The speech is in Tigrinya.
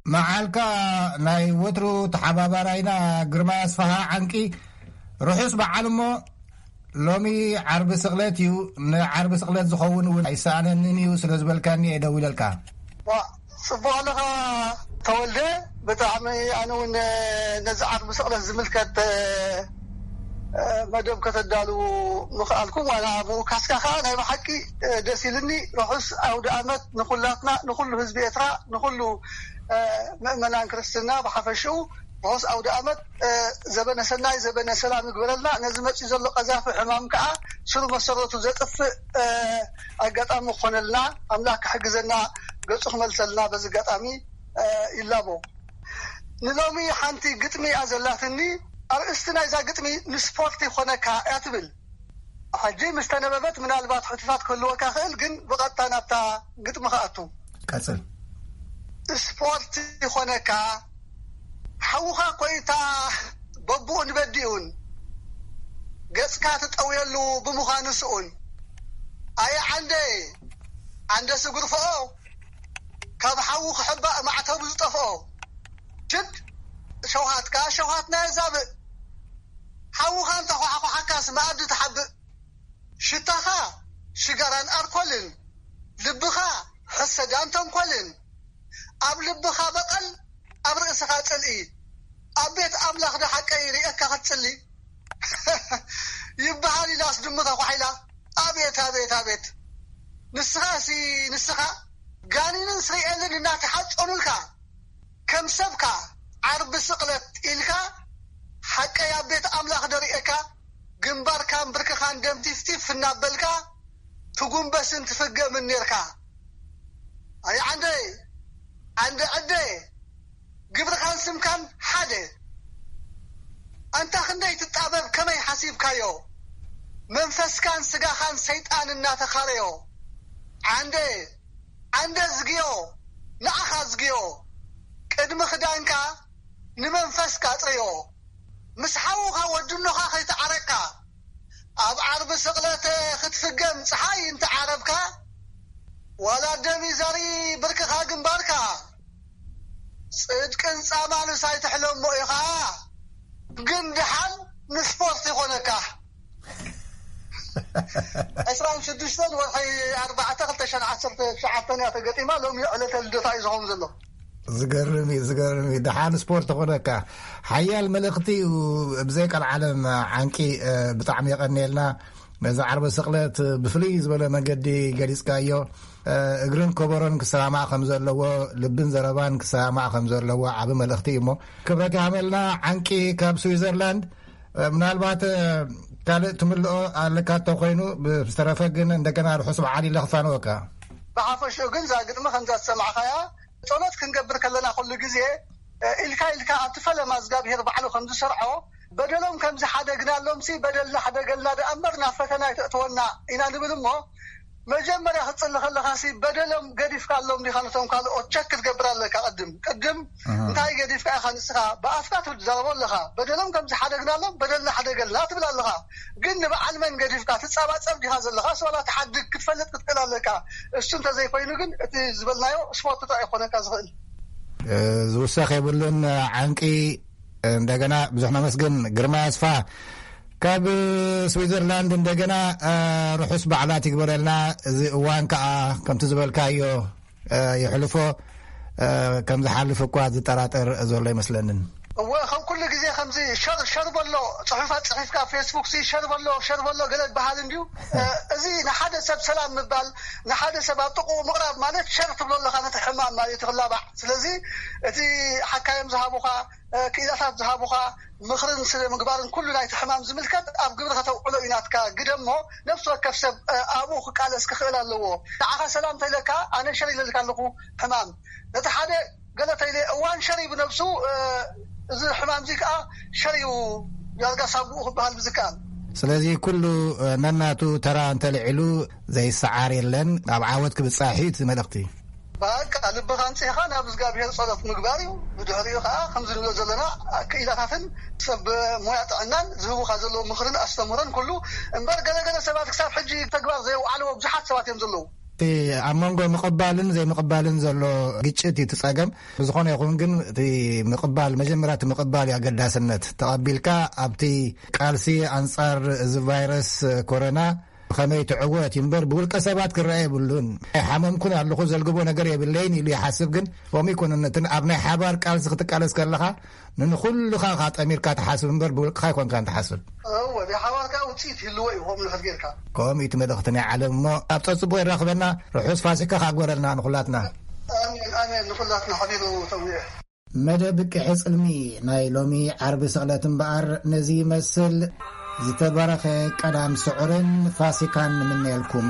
መዓልካ ናይ ወትሩ ተሓባባራይና ግርማ ኣስፋሃ ዓንቂ ርሑስ በዓል። እሞ ሎሚ ዓርቢ ስቕለት እዩ። ንዓርቢ ስቕለት ዝኸውን እውን ኣይሰኣነንን እዩ ስለ ዝበልካኒ እየ ደው ኢለልካ። ጽቡቕ ኣለኻ ተወልደ። ብጣዕሚ ኣነ እውን ነዚ ዓርቢ ስቕለት ዝምልከት መደብ ከተዳልዉ ምኽኣልኩም ዋላ ኣብኡ ካስካ ከዓ ናይ ብሓቂ ደስ ኢልኒ። ርሑስ ኣውደ ኣመት ንኹላትና፣ ንኹሉ ህዝቢ ኤርትራ፣ ንኹሉ ምእመናን ክርስትና ብሓፈሽኡ። ርሑስ ኣውደ ኣመት። ዘበነ ሰናይ፣ ዘበነ ሰላም ይግበረልና። ነዚ መጺኡ ዘሎ ቀዛፊ ሕማም ከዓ ስሩ መሰረቱ ዘጥፍእ ኣጋጣሚ ክኾነልና ኣምላኽ ክሕግዘና፣ ገጹ ክመልሰልና በዚ ኣጋጣሚ ይላቦ። ንሎሚ ሓንቲ ግጥሚ እያ ዘላትኒ። ኣርእስቲ ናይዛ ግጥሚ ንስፖርት ይኾነካ እያ ትብል። ሕጂ ምስ ተነበበት ምናልባት ሕቶታት ክህልወካ ክእል፣ ግን ብቐጥታ ናብታ ግጥሚ ክኣቱ። ቀጽል። ስፖርት ይኾነካ፣ ሓውኻ ኮይታ በብኡን በዲኡን ገጽካ ትጠውየሉ ብምዃኑ ስኡን። ኣየ ዓንደ፣ ዓንደ ስጉርፍኦ፣ ካብ ሓዊ ክሕባእ ማዕተቡ ዝጠፍኦ። ችድ፣ ሸውሃትካ ሸውሃትና የዛብእ። ሓውኻ እንተኳሕኳሓካስ መኣዲ ትሓብእ። ሽታኻ ሽጋራን ኣርኮልን፣ ልብኻ ሕሰዳን ተንኮልን። ኣብ ልብኻ በቐል፣ ኣብ ርእስኻ ጽልኢ። ኣብ ቤት ኣምላኽ ዶ ሓቀይ ርእየካ ክትጽሊ? ይበሃል ኢላስ ድሙ ተኳሒላ። ኣቤት፣ ኣቤት፣ ኣቤት። ንስኻሲ ንስኻ ጋኒንን ስሪኤልን እናተሓጸኑልካ፣ ከም ሰብካ ዓርቢ ስቕለት ኢልካ ሓቀይ ኣብ ቤት ኣምላኽ ዶ ርእየካ፣ ግንባርካን ብርክኻን ደም ቲፍቲፍ እናበልካ ትጉንበስን ትፍገምን ኔርካ። ኣይ ዓንደይ፣ ዓንደ ዕደ፣ ግብርኻን ስምካን ሓደ። ኣንታ ክንደይ ትጣበብ ከመይ ሓሲብካዮ፣ መንፈስካን ስጋኻን ሰይጣን እናተኻረዮ። ዓንደ፣ ዓንደ ዝግዮ፣ ንዓኻ ዝግዮ፣ ቅድሚ ክዳንካ ንመንፈስካ ኣጽርዮ። ምስ ሓውኻ ወድኖኻ ከይተዓረቅካ፣ ኣብ ዓርቢ ስቕለት ክትፍገም ጸሓይ እንተዓረብካ፣ ዋላ ደም ይዘሪ ብርክኻ ግንባርካ። ጽድቅን ጻማንስ ኣይትሕለሞ ኢኻ፣ ግን ደሓን ንስፖርት ይኾነካ። ዕስራን ሽዱሽተን ወርሒ ኣርባዕተ ክልተ ሽሕን ዓሰርተ ትሽዓተን እያ ተገጢማ። ሎሚ ዕለተ ልደታ እዩ ዝኸውን ዘሎ። ዝገርም እዩ፣ ዝገርም እዩ። ደሓን ስፖርት ይኾነካ። ሓያል መልእኽቲ እዩ። ብዘይ ቀልዓለም ዓንቂ፣ እ፣ ብጣዕሚ የቐንየልና። ነዚ ዓርቢ ስቕለት ብፍልይ ዝበለ መገዲ ገሊጽካዮ። እ፣ እግርን ከበሮን ክሰማማዕ ከም ዘለዎ፣ ልብን ዘረባን ክሰማማዕ ከም ዘለዎ ዓቢ መልእኽቲ እዩ። እሞ ክብረት ይሃበልና ዓንቂ ካብ ስዊዘርላንድ። እ፣ ምናልባት፣ እ፣ ካልእ ትምልኦ ኣለካ እንተኾይኑ፣ ብዝተረፈ ግን እንደገና ርሑስ በዓል ኢለ ክፋነወካ። ብሓፈሽኡ ግን እዛ ግጥሚ ከምዛ ዝሰማዕኻያ፣ ጸሎት ክንገብር ከለና ኩሉ ግዜ፣ እ፣ ኢልካ ኢልካ ኣብቲ ፈለማ እግዚኣብሄር ባዕሉ ከም ዝሰርዖ፣ በደሎም ከም ዝሓደግናሎምሲ በደልና ሕደገልና ደኣ እምበር ናብ ፈተና ኣይተእትወና ኢና ንብል እሞ፣ መጀመርያ ክትጽሊ ከለኻሲ በደሎም ገዲፍካሎም ዲኻ ነቶም ካልኦት ቸክ ክትገብር ኣለካ። ቅድም ቅድም ኣሃ። እንታይ ገዲፍካ ኢኻ ንስኻ? ብኣፍካ ትዛረቦ ኣለኻ። በደሎም ከም ዝሓደግናሎም በደልና ሕደገልና ትብል ኣለኻ። ግን ንበዓል መን ገዲፍካ ትጻባጸብ ዲኻ ዘለኻስ ዋላ ትሓድግ ክትፈልጥ ክትክእል ኣለካ። እሱ እንተዘይኮይኑ ግን እቲ ዝበልናዮ ስፖርት ጥራይ ይኾነካ ዝኽእል። እ፣ ዝውሰኽ የብሉን። ዓንቂ እንደገና ብዙሕ ነመስግን። ግርማ ኣስፋ ካብ ስዊዘርላንድ እንደገና፣ እ፣ ርሑስ በዓላት ይግበረልና። እዚ እዋን ከኣ ከምቲ ዝበልካዮ፣ እ፣ ይሕልፎ፣ እ፣ ከም ዝሓልፍ እኳ ዝጠራጠር ዘሎ ኣይመስለንን። እወ፣ ከም ኩሉ ግዜ ከምዚ ሸር፣ ሸር በሎ፣ ጽሑፋት ጽሒፍካ ኣብ ፌስቡክ ሲ ሸር በሎ፣ ሸር በሎ ገለ ዝበሃል እንድዩ። እ፣ እዚ ንሓደ ሰብ ሰላም ምባል፣ ንሓደ ሰብ ኣብ ጥቕኡ ምቕራብ ማለት ሸር ትብሎ ኣለኻ ነቲ ሕማም ማለት እዩ፣ እቲ ክላባዕ። ስለዚ እቲ ሓካዮም ዝሃቡኻ፣ እ፣ ክኢላታት ዝሃቡኻ ምኽርን ስለ ምግባርን ኩሉ ናይቲ ሕማም ዝምልከት ኣብ ግብሪ ከተውዕሎ እዩ ናትካ ግደ እሞ፣ ነፍሲ ወከፍ ሰብ፣ እ፣ ኣብኡ ክቃለስ ክኽእል ኣለዎ። ንዓኻ ሰላም ተይለካ፣ ኣነ ሸር ኢለልካ ኣለኹ ሕማም። ነቲ ሓደ ገለ ተይለ እዋን ሸር እዩ ብነብሱ፣ እ፣ እዚ ሕማም እዚ ከኣ ሸር እዩ ዳርጋ ሳጉኡ ክበሃል ብዝከኣል። ስለዚ ኩሉ፣ እ፣ ነናቱ ተራ እንተልዒሉ ዘይሰዓር የለን። ኣብ ዓወት ክብጻሕ እዩ እቲ መልእኽቲ። በቃ ልብኻ ኣንጺህኻ ናብ እግዚኣብሔር ጸሎት ምግባር እዩ። ብድሕሪኡ ኸዓ ከምዚ ንብሎ ዘለና ክኢላታትን ሰብ ሞያ ጥዕናን ዝህቡኻ ዘለዉ ምኽርን ኣስተምህሮን ኩሉ እምበር፣ ገለገለ ሰባት ክሳብ ሕጂ ተግባር ዘየውዓልዎ ብዙሓት ሰባት እዮም ዘለዉ። እቲ ኣብ መንጎ ምቕባልን ዘይምቕባልን ዘሎ ግጭት እዩ እቲ ጸገም። ብዝኾነ ይኹን ግን እቲ ምቕባል፣ መጀመርያ እቲ ምቕባል እዩ ኣገዳስነት። ተቐቢልካ ኣብቲ ቃልሲ ኣንጻር እዚ ቫይረስ ኮሮና ብኸመይ ትዕወት እዩ እምበር፣ ብውልቀ ሰባት ክረአ የብሉን። ሓመምኩን ኣለኹ፣ ዘልግቦ ነገር የብለይን ኢሉ ይሓስብ። ግን ከምኡ ይኮነን። እቲ ኣብ ናይ ሓባር ቃልሲ ክትቃለስ ከለኻ ንንኹልኻ ኢኻ ጠሚርካ ትሓስብ እምበር፣ ብውልቅኻ ኣይኮንካን ትሓስብ። እወ፣ ናይ ሓባር ከኣ ውጽኢት ይህልዎ እዩ፣ ከምኡ ንኽእል ጌርካ። ከምኡ እዩ እቲ መልእኽቲ ናይ ዓለም። እሞ ኣብ ጸጽቦ የራኽበና። ርሑስ ፋሲካ ከኣ ግበረልና ንኹላትና። ኣሜን፣ ኣሜን። ንኹላትና ሓቢሩ ተውየ። መደብ ቅሒ ጽልሚ ናይ ሎሚ ዓርቢ ስቕለት እምበኣር ነዚ ይመስል። ዝተባረኸ ቀዳም ስዑርን ፋሲካን ንምነየልኩም።